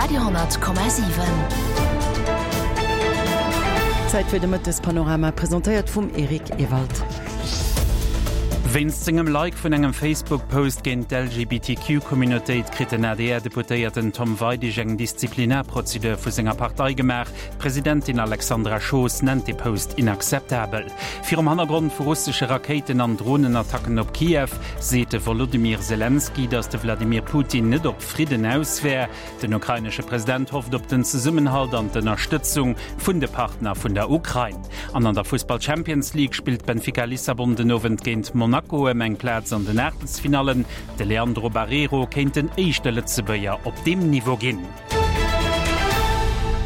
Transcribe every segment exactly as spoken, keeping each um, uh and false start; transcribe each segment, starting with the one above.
Radio honnert Komma siwen. Zäit fir de Mëttespanorama, presentéiert vum Eric Ewald. Wéinst sengem Like vun engem Facebook-Post géint d'L G B T Q-Communautéit kritt den A D R-Deputéierten Tom Weidig eng Disziplinarprozedur vu senger Partei gemaach. D'Presidentin Alexandra Schoos nennt de Post inakzeptabel. Virum Hannergrond vu russesche Rakéiten an Dronenattacken op Kiew seet de Wolodymyr Selenskyj, datt de Wladimir Putin net op Fridden aus wär. Den ukrainesche President hofft op den Zesummenhalt an d'Ënnerstëtzung vun de Partner vun der Ukrain. An an der Fussball Champions League spillt Benfica Lissabon den Owend géint Monaco ëm eng Plaz an den Aachtelsfinallen. De Leandro Barreiro kéint den éischte Lëtzebuerger op deem Niveau ginn.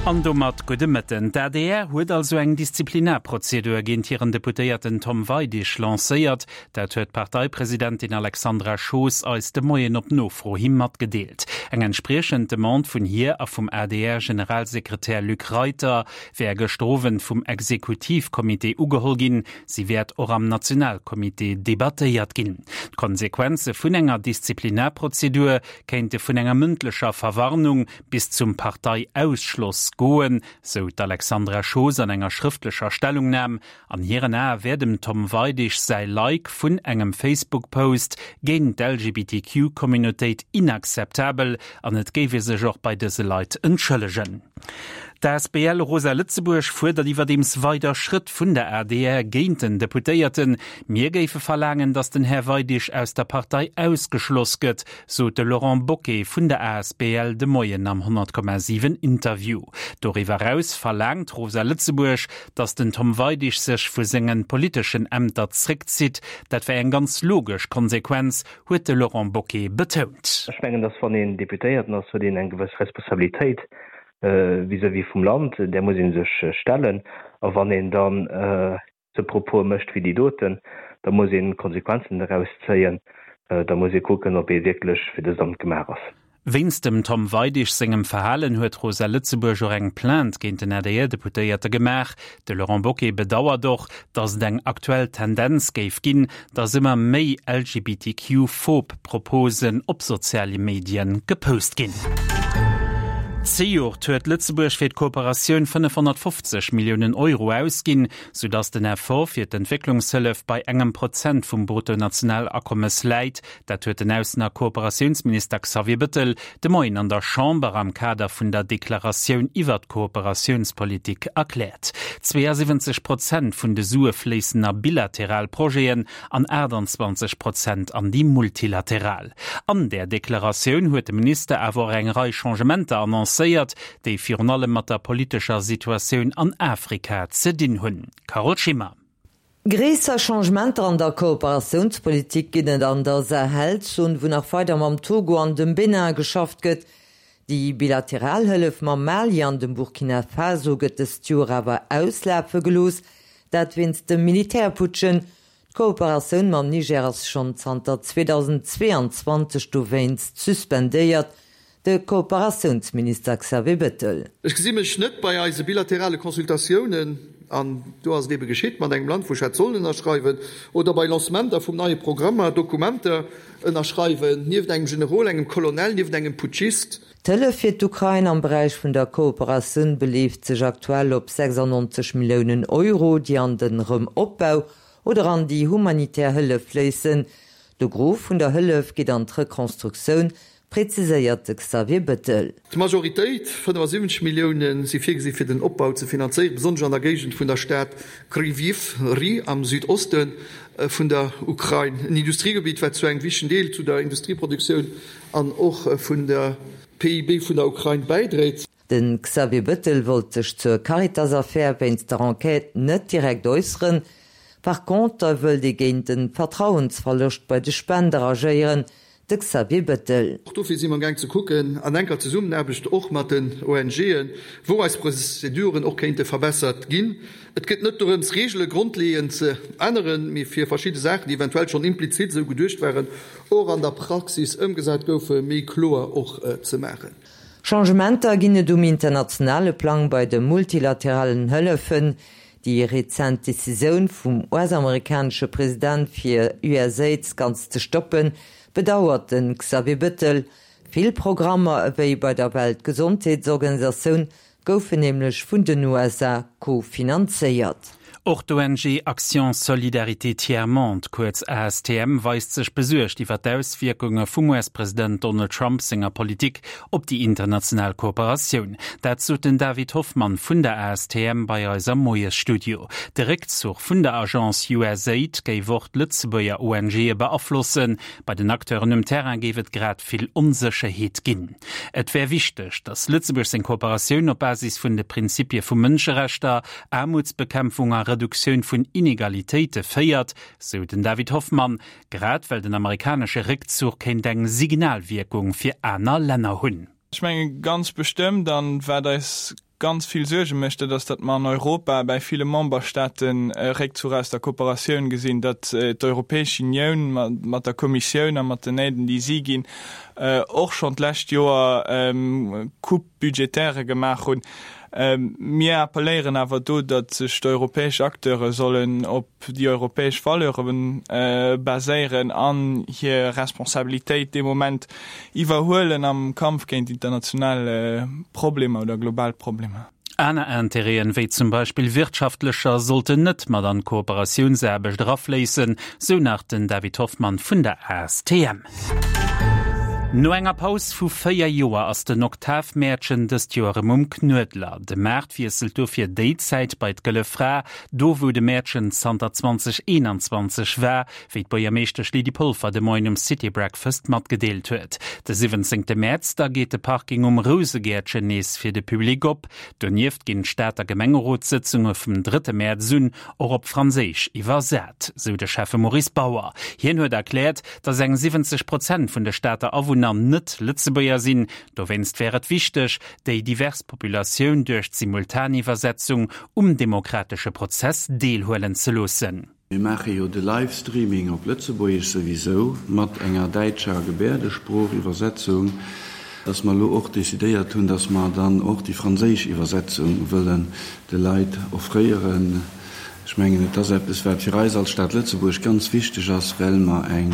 An domat gudde Mëtten. D'A D R huet also eng Disziplinarprozedur géint hiren Deputéierten Tom Weidig lancéiert. Dat huet d'Parteipresidentin Alexandra Schoos eis de Moien op Nofro hi matgedeelt. Eng entspriechend Demande vun hir a vum A D R-Generalsekretär Luc Reiter wär gëschter Owend vum Exekutivkommitee ugeholl ginn. Si wäert och am Nationalkommitee debattéiert ginn. D'Konsequenze vun enger Disziplinarprozedur kéinte vun enger mëndlecher Verwarnung bis zum Parteiausschloss goen, sou d'Alexandra Schoos an enger schrëftlecher Stellungnam. An hiren Ae wär dem Tom Weidig säi Like vun engem Facebook-Post géint d'L G B T Q-Communautéit inakzeptabel an et géif ee sech och bei dëse Leit entschëllegen. D'A S B L Rosa Lëtzebuerg fuerdert iwwerdeems weider Schrëtt vun der A D R géint den Deputéierten. Mir géife verlaangen, datt den Här Weidig aus der Partei ausgeschloss gëtt, sot de Laurent Bocquet vun der A S B L de Moien am honnert Komma siwen Interview. Doriwwer eraus verlaangt Rosa Lëtzebuerg, datt den Tom Weidig sech vu senge politeschen Ämter zréckzitt. Dat wär eng ganz logesch Konsequenz, huet de Laurent Bocquet betount. Ech mengen, datt wann een Deputéierten ass, huet een eng gewëss Responsabilitéit vis-à-vis vum Land, där muss ee sech stellen. A wann een dann sou Propose mécht wéi déi doten, da muss een Konsequenzen doraus zéien, da muss ee kucken, ob ee wierklech fir dëst Amt gemaach ass. Wéinst dem Tom Weidig sengem Verhalen huet Rosa Lëtzebuerg och eng Plainte géint den A D R-Deputéierte gemaach. De Laurent Bocquet bedauert och, datt et eng aktuell Tendenz géif ginn, datt ëmmer méi L G B T Q-phob Proposen op soziale Medien gepost ginn. Zejoert huet Lëtzebuerg fir d'Kooperatioun fënnefhonnertfofzeg Milliounen Euro ausginn, soudatt den Effort fir d'Entwécklungshëllef bei engem Prozent vum Bruttonationalakommes läit. Dat huet den Aussen a Kooperatiounsminister Xavier Bettel de Moien an der Chamber am Kader vun der Deklaratioun iwwer d'Kooperatiounspolitik erkläert. zweeësiwwenzeg Prozent vun de Sue fléissen a bilateral Projeten an aachtanzwanzeg Prozent an déi multilateral. An der Deklaratioun huet de Minister awer och eng Rei Changementer annoncéiert, déi virun allem mat der politescher Situatioun an Afrika ze dinn hunn. Carole Schimmer. Gréisser Changementer an der Kooperatiounspolitik ginn et an der Sahelzon, wou nach weider mam Togo an dem Benin geschafft gëtt. Déi bilateral Hëllef mam Mali an dem Burkina Faso gëtt dëst Joer awer auslafe gelooss, dat wéinst de Militärputschen. D'Kooperatioun mam Niger ass schonn zanter zweedausendzweeanzwanzeg dowéinst suspendéiert, de Kooperatiounsminister Xavier Bettel. Ech gesi mech net bei eise bilaterale Consultatiounen, an do ass et ebe geschitt mat engem Land, wou ech hätt sollen ënnerschreiwen, oder bei Lancementer vum neie Programmer Dokumenter ënnerschreiwen, nieft engem Generol, engem Colonel, nieft engem Putschist. D'Hëllef fir d'Ukrain am Beräich vun der Kooperatioun beleeft sech aktuell op sechsannonzeg Milliounen Euro, déi an den Rëmopbau oder an déi humanitär Hëllef fléissen. De Gros vun der Hëllef geet an d'Rekonstruktioun, präziséiert de Xavier Bettel. D'Majoritéit, fënnefasiwwenzeg Milliounen, si virgesi fir den Opbau ze finanzéieren, besonnesch an der Géigend vun der Stad Krywyj Rih am Südoste vun der Ukrain, en Industriegebitt, wat zu engem wichtegen Deel zu der Industrieproduktioun an och vun der P I B vun der Ukrain bäidréit. De Xavier Bettel wollt sech zur Caritas-Affär wéinst der Enquête net direkt äusseren. Par contre wëllt ee géint de Vertrauensverloscht bei de Spender agéieren, de Xavier Bettel. Och dofir si mer amgaang ze kucken, an enker Zesummenaarbecht och mat den O N G'en, wou eis Prozeduren och kéinte verbessert ginn. Et geet net dorëms, Reegele grondleeënd ze änneren, mee fir verschidde Saachen, déi eventuell schonn implizit esou geduecht waren, och an der Praxis ëmgesat goufen, méi kloer och ze maachen. Changementer ginn et um internationale Plang bei de multilateralen Hëllefen. Déi rezent Decisioun vum U S-amerikanesche President fir U S Aid ganz ze stoppen, bedauert den Xavier Bettel. Vill Programmer ewéi bei der Weltgesondheetsorganisatioun goufen nämlech vun den U S A kofinanzéiert. Och d'O N G Action Solidarité Tiers Monde, kuerz A S T M, weist sech besuergt iwwer d'Auswierkunge vum U S-President Donald Trump senger Politik op déi international Kooperatioun. Dat sot den David Hoffmann vun der A S T M bei eis am Moiesstudio. De Réckzuch vun der Agence U S A I D géif och d'Lëtzebuerger O N G beaflossen. Bei den Acteuren um Terrain géif et grad vill Onsécherheet ginn. Et wär wichteg, datt Lëtzebuerg seng Kooperatioun op Basis vun de Prinzipie vu Mënscherechter, Aarmutsbekämpfung a Reduktioun vun Inegalitéite féiert, sou den David Hoffmann, grad well den amerikanesche Réckzuch kéint eng Signalwierkung fir aner Länner hunn. Ech menge ganz bestëmmt an wat eis ganz vill Suerge mécht, dat ass, datt mer an Europa bei ville Memberstaaten e Réckzuch aus der Kooperatioun gesinn, datt d'Europäesch Unioun mat der Kommissioun a mat den Aiden, déi si ginn, och schonn d'lescht Joer Coupe budgétaire gemaach hunn. Mir appelléieren awer do, datt sech d'europäesch Acteure sollen op déi europäesch Valeure baséieren an hir Responsabilitéit dee Moment iwwerhuelen am Kampf géint international Problemer oder global Problemer. Aner Interêten, wéi zum Beispill wirtschaftlecher, sollten net mat an d'Kooperatiounsaarbecht erafléissen, sou nach den David Hoffmann vun der A S T M. No enger Paus vu véier Joer ass den Oktavmäertchen dëst Joer erëm um Knuedler. De Maart wiesselt dofir déi Zäit bei d'Gëlle Fra, do wou de Mäertchen zanter zweedausendeenanzwanzeg war, wéi d'Buergermeeschtesch Lydie Polfer de Moien um City Breakfast matgedeelt huet. De siwwenzéngte Mäerz da geet de Parking um Rousegäertchen nees fir de Public op. Donieft ginn d'Stater Gemengerotssëtzunge vum drëtte Mäerz un och op Franséisch iwwersat, sou de Schäffe Maurice Bauer. Hien huet erkläert, datt eng siwwenzeg Prozent vun de Stater Awunner net Lëtzebuerger sinn. Dowéinst wär et wichteg, déi divers Populatioun duerch d'Simultaniwwersetzung um demokratesche Prozess deelhuelen ze loossen. Mir maache jo de Livestreaming op Lëtzebuergesch souwisou mat enger däitscher Gebäerdesproochiwwersetzung, dass mer elo och decidéiert hunn, dass mer dann och déi franséisch Iwwersetzung wëllen de Leit offréieren. Ech mengen, et ass eppes, wat fir eis als Stad Lëtzebuerg ganz wichteg ass, well mer eng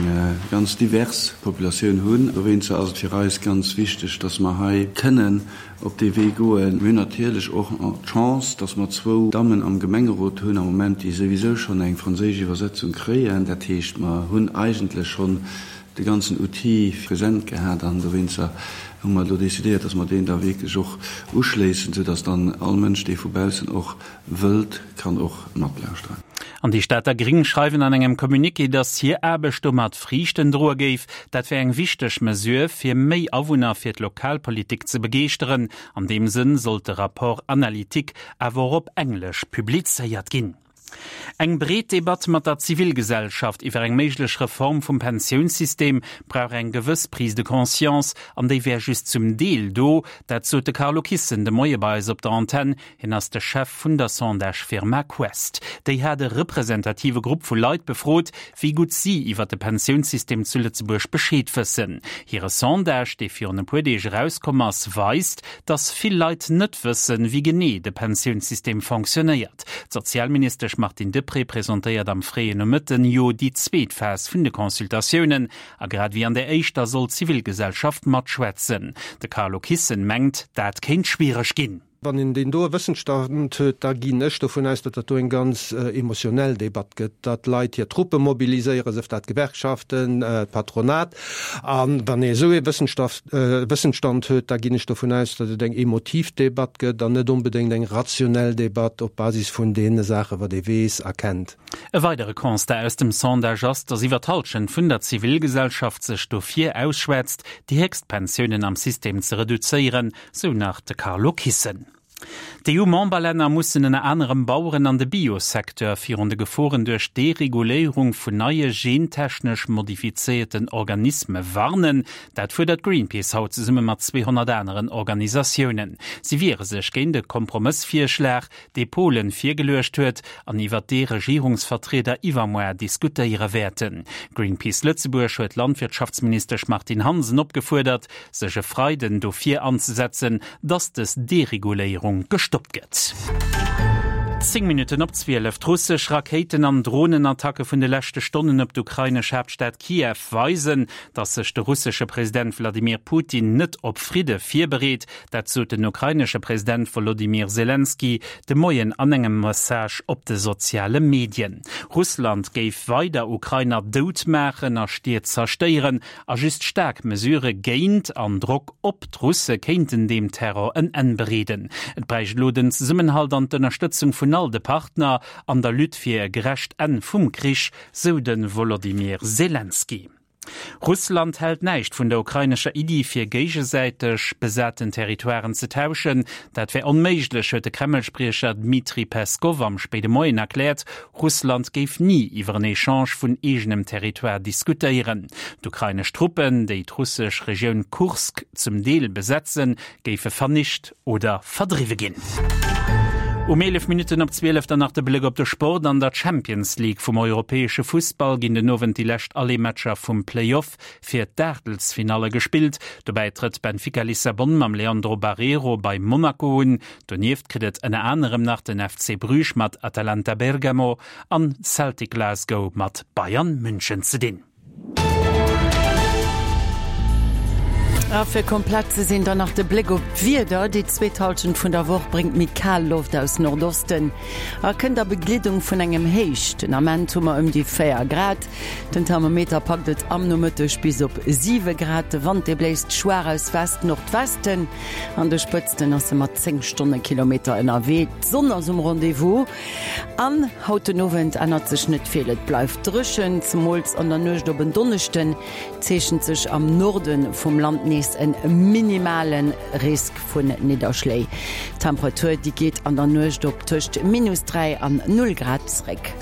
ganz divers Populatioun hunn. Dowéinster ass et fir eis ganz wichteg, dass mer hei kënnen op dee Wee goen. Mir hunn natierlech och d'Chance, dass mer zwou Dammen am Gemengerot hunn am Moment, déi souwisou schonn eng franséisch Iwwersetzung kréien. Dat heescht, mer hunn eigentlech schonn de ganzen Outil present gehat an dowéinster hu mer elo decidéiert, dass mer deen da wierklech och uschléissen, soudass dann all Mënsch, dee vu baussen och wëllt, kann och matlauschteren. An déi Stater Gréng schreiwen an engem Communiqué, dass hir Aarbecht domat Friichten droe géif. Dat wär eng wichteg Mesure, fir méi Awunner fir d'Lokalpolitik ze begeeschteren. An deem Sënn sollt de Rapport analytique awer och op Englesch publizéiert ginn. Eng breet Debatt mat der Zivilgesellschaft iwwer eng méiglech Reform vum Pensiounssystem brauch eng gewëss Prise de conscience, an déi wär just zum Deel do, dat sot de Carlo Kissen de Moie bei eis op der Antenn. Hien ass de Chef vun der Sondagefirma Quest. Déi hat e representative Grupp vu Leit befrot, wéi gutt si iwwer de Pensiounssystem zu Lëtzebuerg Bescheed wëssen. Hire Sondage, dee virun e puer Deeg erauskomm ass, weist, datt vill Leit net wëssen, wéi genee de Pensiounssystem fonctionéiert. D'Sozialministesch Martine Deprez presentéiert am fréien Nomëtten jo déi zweet Phas vun de Consultatiounen, a grad wéi an der éischter soll d'Zivilgesellschaft matschwätzen. De Carlo Kissen mengt, dat kéint schwiereg ginn. Wann een deen doe Wëssensstand huet, da ginn ech dovun aus, datt dat do eng ganz emotionell Debatt gëtt, datt Leit hir Truppe mobiliséieren, sief dat d'Gewerkschaften, d'Patronat. An wann ee esou ee Wëssensstand huet, da ginn ech dovun aus, datt et eng emotiv Debatt gëtt an net onbedéngt eng rationell Debatt op Basis vun deene Saachen, wat ee weess a kennt. E weidere Constat aus dem Sondage ass, datt iwwer d'Hallschent vun der Zivilgesellschaft sech dofir ausschwätzt, déi héchst Pensiounen am System ze reduzéieren, sou nach de Carlo Kissen. D'E U-Memberlänner mussen ënner anerem Baueren an de Biosecteur virun de Geforen duerch Dereguléierung vun neie gentechnesch modifizéierten Organisme warnen. Dat fuerdert Greenpeace haut zesumme mat zweehonnert aneren Organisatiounen. Si wiere sech géint de Kompromëssvirschlag, dee Polen virgeluecht huet an iwwer dee Regierungsvertrieder iwwermuer diskutéiere wäerten. Greenpeace Lëtzebuerg huet d'Landwirtschaftsministesch Martine Hansen opgefuerdert, sech e Freiden dofir anzesetzen, datt dës Dereguléierung gestoppt gëtt. Zéng Minutten op zwielef, D'russesch Rakéiten an Dronenattacke vun de leschte Stonnen op d'ukrainesch Haaptstad Kiew weisen, datt sech de russesche President Wladimir Putin net op Fridde virbereet. Dat sot den ukrainesche President Wolodymyr Selenskyj de Moien an engem Message op de soziale Medien. Russland géif weider Ukrainer dout maachen a Stied zerstéieren a just staark Mesurë géint an Drock op d'Russe kéinten deem Terror en Enn bereeden. Et bräicht elo den Zesummenhalt an d'Ënnerstëtzung vun all de Partner an der Lutte fir e gerecht Enn vum Krich, sou de Wolodymyr Selenskyj. Russland hält näischt vun der ukrainescher Iddi, fir géigesäiteg besaten Territoiren ze tauschen. Dat wär onméiglech, huet de Kreml-Spriecher Dmitri Peskov am spéide Moien erkläert. Russland géif ni iwwer en Echange vun eegenem Territoire diskutéieren. D'ukrainesch Truppen, déi d'russesch Regioun Kursk zum Deel besetzen, géife vernicht oder verdriwwe ginn. Um eelef Minutten op zwielef dann nach de Bléck op de Sport. An der Champions League vum europäesche Fussball ginn den Owend déi lescht Aller-Matcher vum Play-Off fir d'Aachtelsfinalle gespillt. Dobäi trëtt Benfica Lissabon mam Leandro Barreiro bei Monaco un. Donieft kritt et ënner anerem nach den F C Bruges mat Atalanta Bergamo an Celtic Glasgow mat Bayern München ze dinn. A fir komplett ze sinn dann nach de Bléck op d'Wieder, Déi zweet Hallschent vun der Woch bréngt méi kal Loft aus Nordosten a kënnt a Begleedung vun engem Héich. Den Ament hu mer ëm déi véier Grad, den Thermometer packt et am Nomëtteg bis op siwe Grad. De Wand dee bléist schwaach aus West-Nordwesten, an de Spëtzten ass e mat zéng Stonnekilometer ënnerwee. D'Sonn ass um Rendez-vous an haut den Owend ännert sech net vill, et bleift dréchen, zemools an der Nuecht op en Donneschden zeechent sech am Norde vum Land nees en minimale Risk vun Nidderschléi. D'Temperatur déi geet an der Nuecht op tëscht minus dräi an null Grad zréck.